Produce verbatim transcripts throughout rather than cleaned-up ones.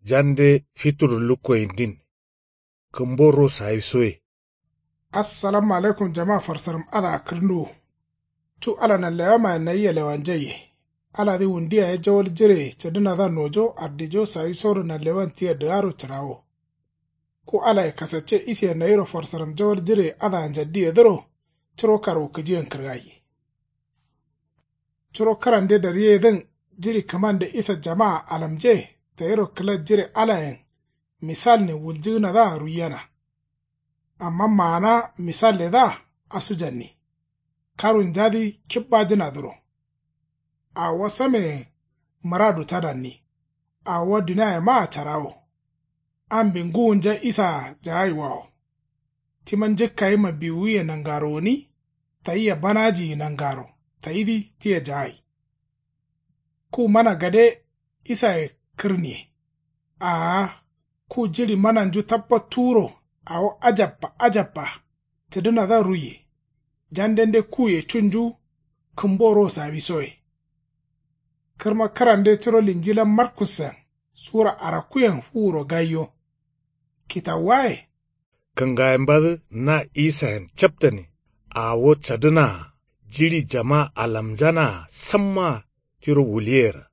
Jande fitur lukkoyindin. Kǝmbo ro sawisoye. Assalamu alaikum jama farsaram adǝa kǝrǝnduwu. Cu ala nanlewamayen nayia lewanjaiye. Aladǝ wundu yaye jawal jireye cǝdǝnadǝa nojo ardijo sawisoro nanlewan tia dǝgaro cǝrawo. Ku alaye kasacce isiye nayiro farsaram jawal jireye adǝa njaddiyedǝro. Curo karwukǝjiyen kǝrgaiye. Curo kǝrande dariyeyedǝn jiɍi kǝmande isa jamaa alamje tayiro kǝla jire alayen misalne wuljǝgǝnadǝa ruiyena. Amma maana misalledǝa asujanni. Karunjadǝ kibbajǝnadǝro. Awo sameye mǝradu tadanni. Awo duniayemaa carawo. Ambi ngǝwunja isaa jagaiwawo. Tima njǝkkayima biwuye nangaro gǝni. Tayia banajiyi nangaro tayidǝ tia jagai. Ku mana gade isaye kǝrniye. Aa ku jiɍi mananju tabbattuwuro awo ajabba ajabba. Cǝdǝnadǝa ruiye. Jandende kuye cunju. Kǝmbo ro sawisoye. Kǝrma kǝrande curo linjilan markussen sura arakkuyen fuwuro gaiyo. Kitawuwaye. Kǝngayembadǝ na isayen captane. Awo cadǝnaa jiɍi jama alamjanaa sammaa tiro wuliyera.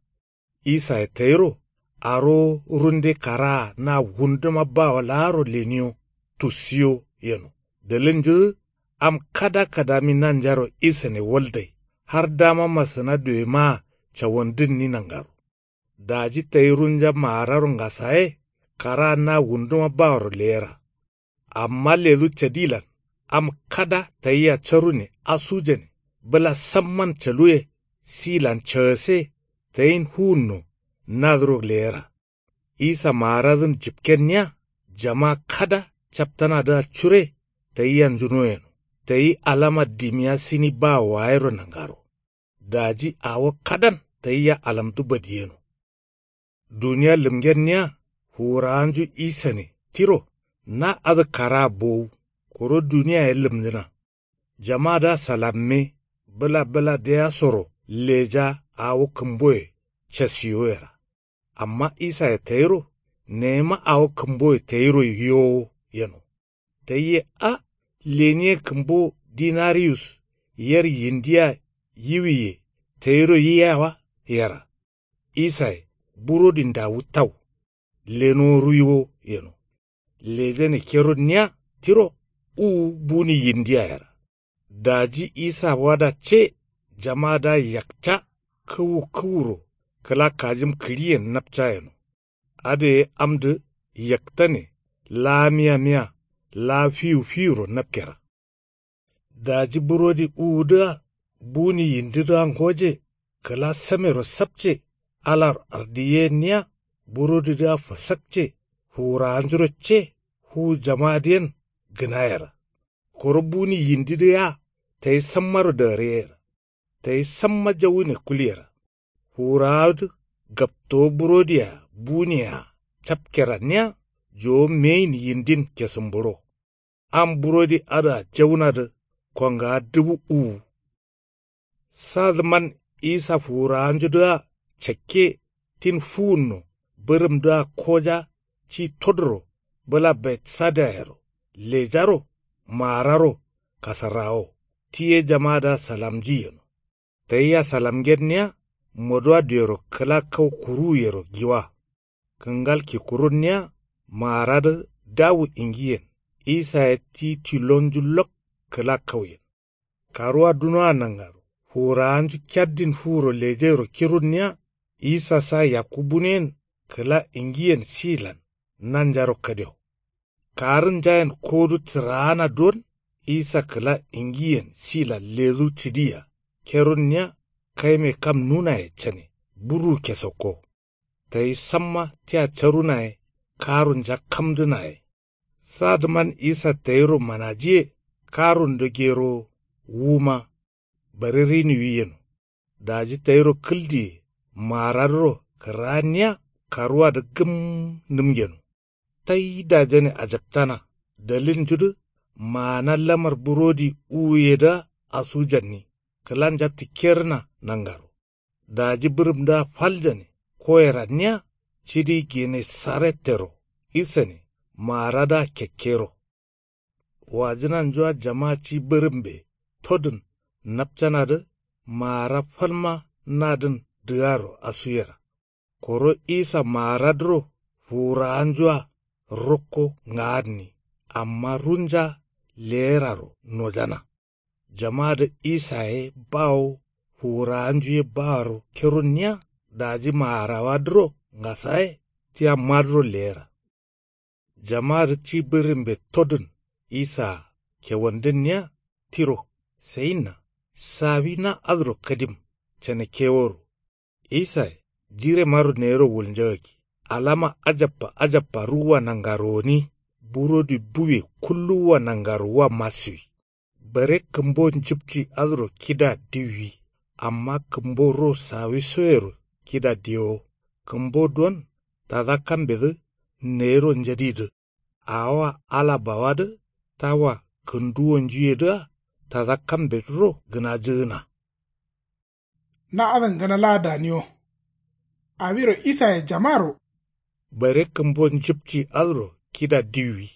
Isaye tayiro arowo runde karaa na wunduma bawo laaro leniyo tussiyo yeno. Dalilnjudǝ am kada kadami nanjaro isane waldai har dama masǝna duyemaa cawandǝnni nangaro. Daji tayi runja maararo ngasaye karaa na wunduma baworo leyera. Amma ledu cadilan am kada tayia carune asujane bǝla samman caluye silan cagase tayin fuwunno nadǝro leyera. Isa maaradǝn jipkenniya jama kada captanadǝa cure tayiya njuno yeno. Tayi alama dimiya sini bawo waayero nangaro. Daji awo kadan tayiya alamdu badiyeno. Duniya lǝmgenniya fuwurawanju isane tiro na adǝ karaa bowu. Koro duniyaye lǝmjǝna. Jamadǝa salamme bǝla bǝla deyasoro leja awo kǝmboye casiyoyera. Amma isaye tayiro neyima awo kǝmboye tayiro yiyowo yeno. Tayi ye a leniye kǝmbo dinariyus yer yindiya yiwiye tayiro yiya wa yera. Isaye burodin dawu tau lenowo ruiwo yeno. Lejane kerunniya tiro uwu buni yindiya yera. Daji isa wada ce jamadǝa yakca kǝwu kǝwuro kǝla kajim kǝɍiyen napca yeno. Adǝ ye amdǝ yaktane laa miya miya laa fiwu fiwuro napkera. Daji burodi uwudǝa buni yindidǝa ngoje kǝla samero sapce alaro ardiyenniya burodidǝa fasakce fuwurawanjuro ce fuwu jamadǝyen gǝnayera. Koro buni yindidǝ yea tayi sammaro dagǝryeyera. Tayi samma jawune kulyera. Fuwurawadǝ gaptowo burodiya buniyea capkeranniya jowo meyin yindin kesumburo. Am burodi adǝa jaunadǝ kongawa dubu uwu. Sadǝman isa fuwurawanjudǝa cakke tin fuwunno bǝrǝmdǝa koja ci todoro bǝla betsadayero lejaro maararo kasarrawo ti ye jamadǝa salamji yeno. Tayia salamngenniya moduwa duyero kǝla kau kuruwuyero giwa. Kǝngal kikurunniya maaradǝ dawu ingiyen isa ye ti tilonju lok kǝla kauyen. Karuwa dunoa nangaro fuwurawanju keddin fuwuro lejairo kirunniya isa sa yakku buneyen kǝla ingiyen silan nanjaro kadio. Karǝnjayen kodu tǝraana don isa kǝla ingiyen silan ledu cǝdiya kerunniya kaime kam nunaye cane burwu kesokko. Tayi samma tia carunaye karunja kamdǝnaye. Sadǝman isa tayiro manajiye karundǝ gerowo wuma bare riniwi yeno. Daji tayiro kǝldiye maaradǝro kǝraniya karuwadǝ gǝm nǝmgeno. Tai dajane ajaptana dalilnjudǝ maana lamar burodi uwuyedǝa asujanni kǝlanja tǝkkerǝna nangaro. Daji bǝrǝmdǝa faljane koyeranniya cidi genesarettero isane maaradǝa kekkero. Wajǝnanjua jama ci bǝrǝmbe todǝn napcanadǝ maara falma nadǝn dǝgaro asuyera. Koro isa maaradǝro fuwurawanjua rokko ngaadǝni amma runja leyeraro nojana. Jamadǝ isa ye bawo fuwurawanju ye bawaro keronniya daji maarawadǝro ngasaye tia madǝro leyera. Jamadǝ ci bǝrǝmbe todǝn isaa kewandǝnniya tiro sayinna sawi na adǝro kadim canakeworo. Isaye jiremaro neyiro wulnjagakki alama ajabba ajabba ruwwa nangaro gǝni burodi buwe kulluwwa nangaro wa masiwi. Bare kǝmbo njǝpci adǝro kida diwwi amma kǝmbo ro sawisoyero kida diyewo. Kǝmbo don tada kambedǝ nayiro njadidǝ awowa ala bawadǝ tawa kǝnduwonjuyedǝa tada kambedǝro gǝnajǝgǝna. Na adǝn gǝna laa daniyo. Awiro isaye jamaro bare kǝmbo njǝpci adǝro kida diwwi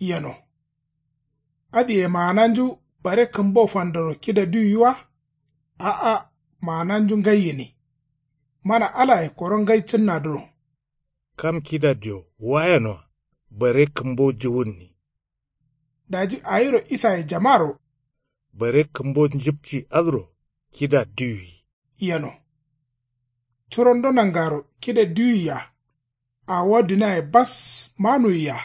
yeno. Adǝye maananju bare kǝmbo fandoro kida diwwi wa? A'a, maananju ngai gǝni. Mana alaye koro ngai cǝnnadǝro. Kam kida diyo wayenoa bare kǝmbo juwunni. Daji awiro isaye jamaro bare kǝmbo njǝpci adǝro kida diwwi yeno. Curondo nangaro kida diwwi-a awowa duniaye bas manuwi-a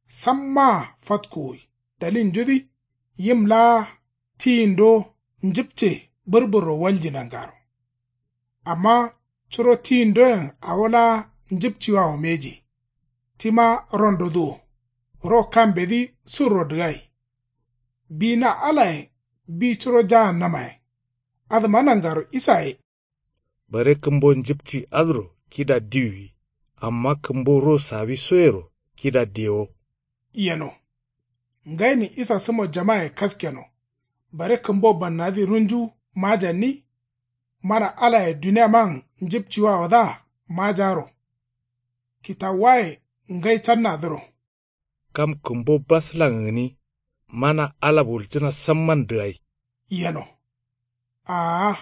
sammaa fatkuwi dalinjudǝ yim laa tiyindo njǝpce bǝrbǝrro walji nangaro. Amma curo tiyindoyen awo laa njǝpciwawo mbeji. Tima rondodǝ wo ro kambedǝ surro dǝgai. Bi na alaye bi curo jaannamayen. Adǝma nangaro isaye bare kǝmbo njǝpci adǝro kida diwwi amma kǝmbo ro sawisoyero kida diyewo yeno. Ngainin isa sǝmo jamaye kaskeno. Bare kǝmbo bannadǝ runju majanni. Mana alaye duniaman njǝpciwawodǝa majaro. Kitawuwaye ngai cannadǝro. Kam kǝmbo baslan gǝni mana ala wuljǝna samman dǝgai yeno. Aa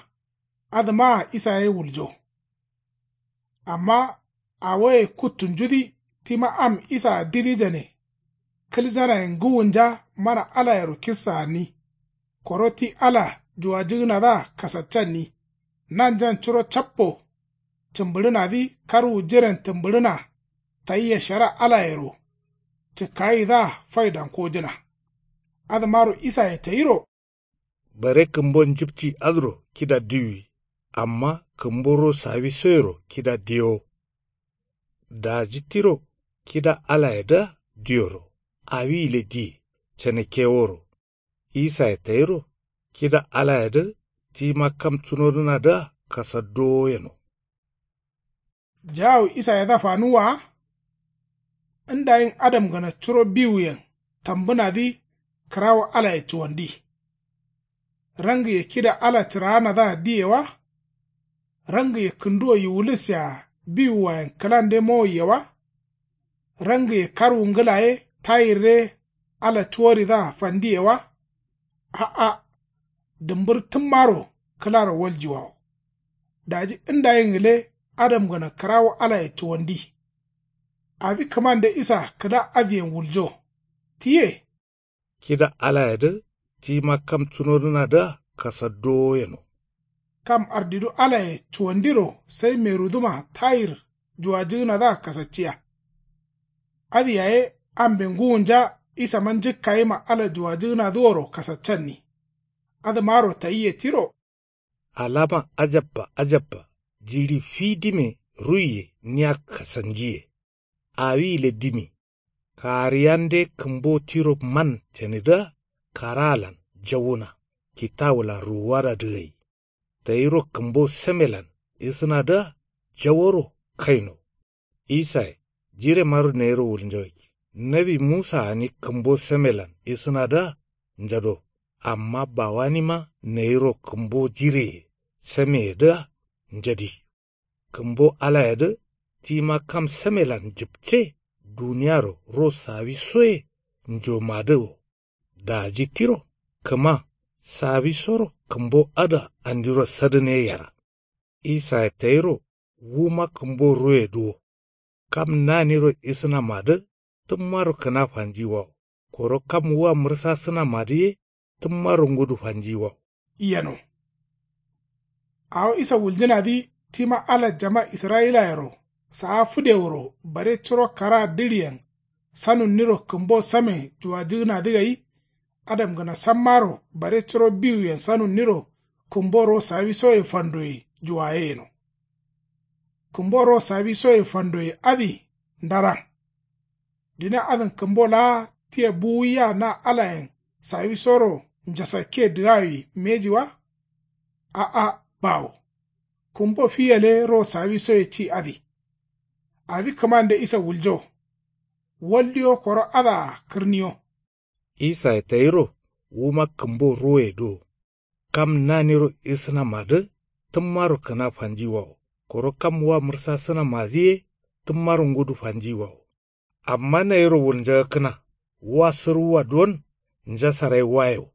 adǝmaa isa ye wuljo. Amma awoye kuttunjudǝ tima am isaa dirijane kǝljanayen ngǝwunja mana alayero kissa gǝni. Koro ti ala juwajǝgǝnadǝa kasaccanni. Nanjan curo cappo cǝmbǝɍǝnadǝ karwu jiren tǝmbǝɍǝna tayia shara alayero cǝkkayidǝa faidankojǝna. Adǝmaro isaye tayiro. Bare kǝmbo njǝpci adǝro kida diwwi amma kǝmbo ro sawisoyero kida diyewo. Daji tiro kida alayedǝa diyoro awi gǝle diye canakeworo. Isaye tayiro kida alayedǝ tima kam cunodǝnadǝa kasaddowo yeno. Jawu isayedǝa fanuwwa wa? Ndayin adamgǝna curo biwuyen tambǝnadǝ kǝrawo alaye cuwandi. Rangiye kida ala cǝraanadǝa diye wa? Rangiye kǝnduwo yiwulisseya biwuwayen kǝlande mowoiye wa? Rangiye karwu ngǝla ye tayirre ala cuworidǝa fandiye wa? A'a. Dǝmbǝr tǝmmaro kǝlaro waljiwawo. Daji ndayin gǝle adamgǝna kǝrawo alaye cuwandi. Awi kǝmande isa kǝla adǝyen wuljo. Tiye. Kida alayedǝ tima kam cunodǝnadǝa kasaddowo yeno. Kam ardidu alaye cuwandiro sai merudǝma tayir juwajǝgǝnadǝa kasacciya. Adǝ yaye ambe ngǝwunja isama njǝkkayima ala juwajǝgǝnadǝworo kasaccanni. Adǝmaro tayiye tiro. Alama ajabba ajabba jiɍi fidime ruiye nia kasanjiye. Awi gǝle dimi. Kariyande kǝmbo tiro man canidǝa karaalan jawuna kitawulan ruwuwada dǝgai. Tayiro kǝmbo semelan isǝnadǝa jaworo kaino. Isaye jiremaro nayiro wulnjagakki nawi musa gǝni kǝmbo semelan isǝnadǝa njado. Amma bawanima nayiro kǝmbo jireye semeyedǝa njadi. Kǝmbo alayedǝ tima kam samelan jipce duniyaro ro sawisoye njomadǝ wo. Daji tiro kǝma sawisoro kǝmbo adǝa andiro sadǝne yera. Isaye tayiro wuma kǝmbo roye duwo. Kam naniro isǝnamadǝ tǝmmaro kǝna fanjiwawo koro kam wua mǝrsasǝnamadǝ ye tǝmmaro ngudu fanjiwawo. Yeno. Awo isa wuljǝnadǝ tima ala jama israyilayero saa fǝdeworo bare curo kara dǝɍiyen sanunniro kǝmbo same juwajǝgǝnadǝ gai. Adamgǝna sammaro bare curo biwuyen sanunniro kǝmbo ro sawisoye fandoye juwaye yeno. Kǝmbo ro sawisoye fandoye adǝ ndaran. Dine adǝn kǝmbo laa tia buwuya na alayen sawisoro njasakke dǝgawi mbeji wa? A'a bawo. Kǝmbo fiyale ro sawisoye ci adǝ. Abi kǝmande isa wuljo. Waldiyo koro adǝa kǝrniyo. Isaye tayiro wuma kǝmbo roye do. Kam naniro isǝnamadǝ tǝmmaro kǝna fanjiwawo koro kam wua mǝrsasǝnamadǝ ye tǝmmaro ngudu fanjiwawo. Amma nayiro wulnjagakkǝna wa sǝrwuwa duwon njasarai wayewo.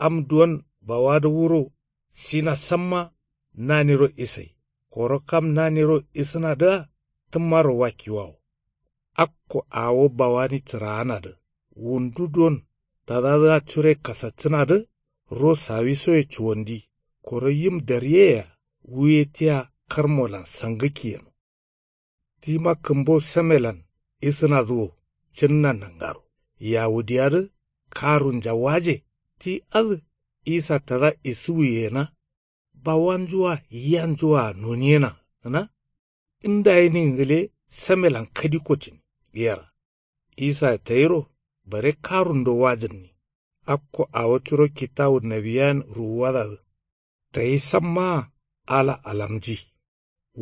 Am duwon bawadǝ wuro sina samma naniro isai koro kam naniro isǝnadǝa tǝmmaro wakkiwawo. Akko awo bawani cǝraanadǝ wundu duwon tadadǝa cure kasaccǝnadǝ ro sawisoye cuwandi koro yim daryeyea wuye tia karmolan sangǝkki yeno. Tima kǝmbo samelan isǝnadǝ wo cǝnna nangaro yawudiyadǝ karunja waje ti adǝ isa tada isuwuyena. Bawanju-a yiyanju-a noniyena gǝna. Ndaye ningǝle samelan kadikko cǝni yera. Isaye tayiro bare karundo wajǝnni. Akko awo curo kitawu nawiyayen ruwuwadadǝ tayi sammaa ala alamji.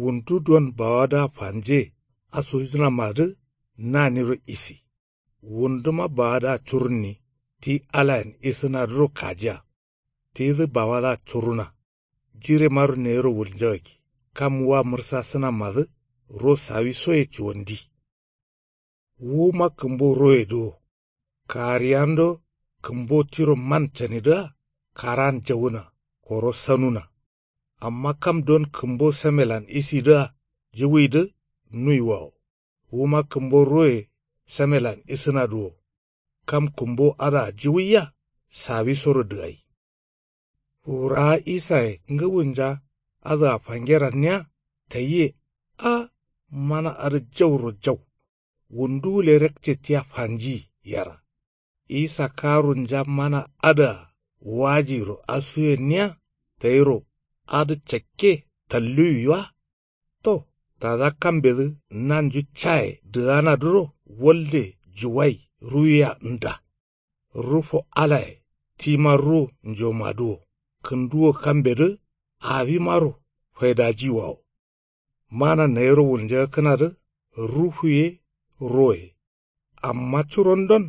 Wundu duwon bawadǝa fanje asujǝnamadǝ naniro isi. Wunduma bawadǝa curunni ti alayen isǝnadǝro kajiya. Tidǝ bawadǝa curuna. Jiremaro nayiro wulnjagakki kam wua mǝrsasǝnamadǝ ro sawisoye cuwandi. Wuma kǝmbo roye do. Kariyando kǝmbo tiro man canidǝa karan jawuna koro sanuna. Amma kam don kǝmbo samelan isidǝa jiwuidǝ nuiwawo. Wuma kǝmbo roye samelan isǝnadǝ wo. Kam kǝmbo adǝa jiwuiya sawisoro dǝgai. Fuwurawa isaye ngǝwunja adǝa fangeranniya tayiye. A mana adǝ jauro jau. Wundu gǝle rakce tia fanji yera. Isa karunja mana adǝa wajiro asuyenniya tayiro adǝ cakke talluwi wa? To tada kambedǝ nanju caye dǝganadǝro walde juwai ruwiya nda. Rufo alaye tima ru njomadǝ wo. Kǝnduwo kambedǝ awimaro faidajiwawo. Mana nayiro wulnjagakkǝnadǝ ruhu ye ro ye. Amma curondon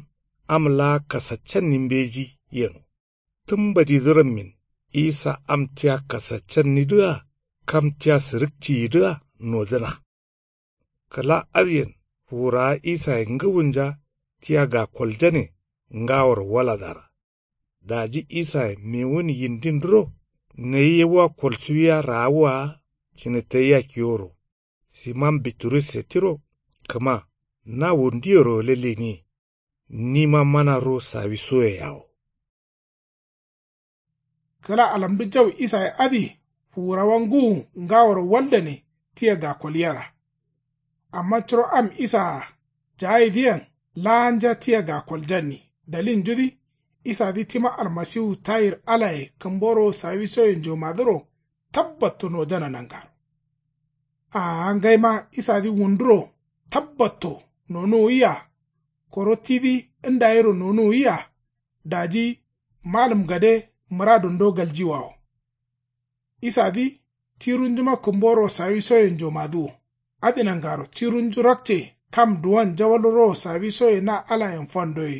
am laa kasaccanni mbeji yeno. Tǝmbadidǝ rammin isa am tia kasaccannidǝa kam tia sǝrǝkciyidǝa nodǝna. Kǝla adǝyen fuwurawa isaye ngǝwunja tia gakoljane ngaworo waladara. Daji isaye mewun yindindǝro nayi yewwa kolsuwiya raawwa cǝne tayia kiworo. Siman biturusse tiro kǝma na wunduyero gǝle leniye. Nima mana ro sawisoye yawo. Kǝla alamdu jau isaye adǝ fuwurawa ngǝwu ngaworo waldane tia gakolyera. Amma curo am isaa jaayidǝyen laanja tia gakoljanni dalilnjudǝ isadǝ tima almasiwu tayir alaye kǝmboro sawisoye njomadǝro tabbatto nojana nangaro. Aa ngaima isadǝ wunduro tabbatto nonuwuwiya. Koro tidǝ ndayiro nonuwuwiya. Daji malǝm gade mǝradundo galjiwawo. Isadǝ tirunjuma kǝmboro sawisoye njomadǝ wo. Adǝ nangaro tirunju rakce kam duwon jawal ro sawisoye na alayen fandoye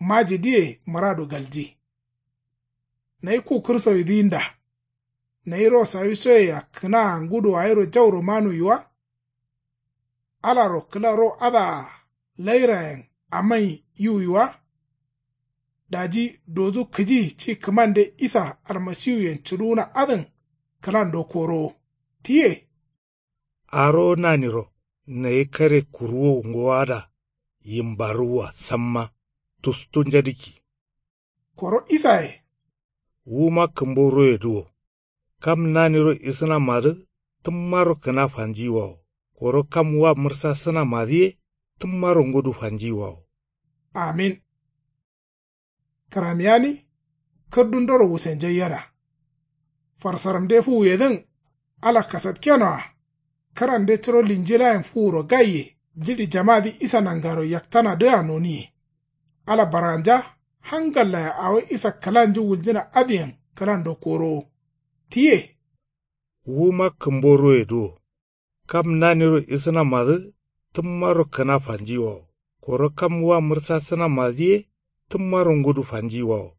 majidǝye mǝradu galji. Nayi ku kǝrsoyidǝ nda. Nayi ro sawisoyea kǝnaa ngudu gayiro jauro manuwi wa? Alaro kǝla ro adǝa lairayen amai yiwui wa? Daji dodu kǝji ci kǝmande isa almasiwuyen cǝduwuna adǝn kǝlando korowo. Tiye. Arowo naniro nayi kare kuruwo ngowo ada yimbaruwwa samma tustu njadǝkki. Koro isaye. Wuma kǝmbo royedǝ wo. Kam naniro isǝnamadǝ tǝmmaro kǝna fanjiyiwawo. Koro kam wa mǝrsasǝnamadǝ ye tǝmmaro ngudu fanjiyiwawo. Amin. Kǝramiyani kǝrdundoro wusenjaiyena. Farsaramde fuwuyedǝn ala kasatkenoa. Kǝrande curo linjilayen fuwuro gaiye jiɍi jamadǝ isa nangaro yaktanadǝa noniye. Ala barganja hangallaye awo isa kǝlanju wuljǝna adǝyen kǝlando korowo. Tiye. Wuma kǝmbo royedǝ wo. Kam naniro isǝnamadǝ tǝmmaro kǝna fanjiyiwawo. Koro kam wa mǝrsasǝnamadǝ ye tǝmmaro ngudu fanjiyiwawo.